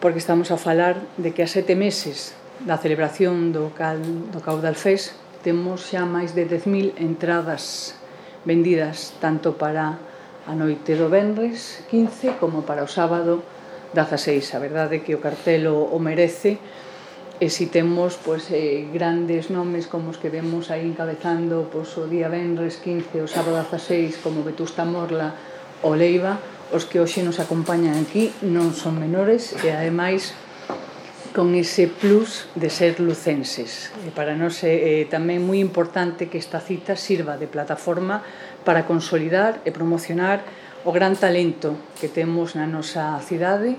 porque estamos a falar de que a 7 meses da celebración do Caudal Fest temos xa máis de 10.000 entradas vendidas tanto para a noite do venres 15 como para o sábado 16. A verdade é que o cartel o merece, e si temos grandes nomes como os que vemos aí encabezando o día venres 15 o sábado 16 como Vetusta Morla ou Leiva, os que hoxe nos acompañan aquí non son menores e ademais con ese plus de ser lucenses. Para nós é tamén moi importante que esta cita sirva de plataforma para consolidar e promocionar o gran talento que temos na nosa cidade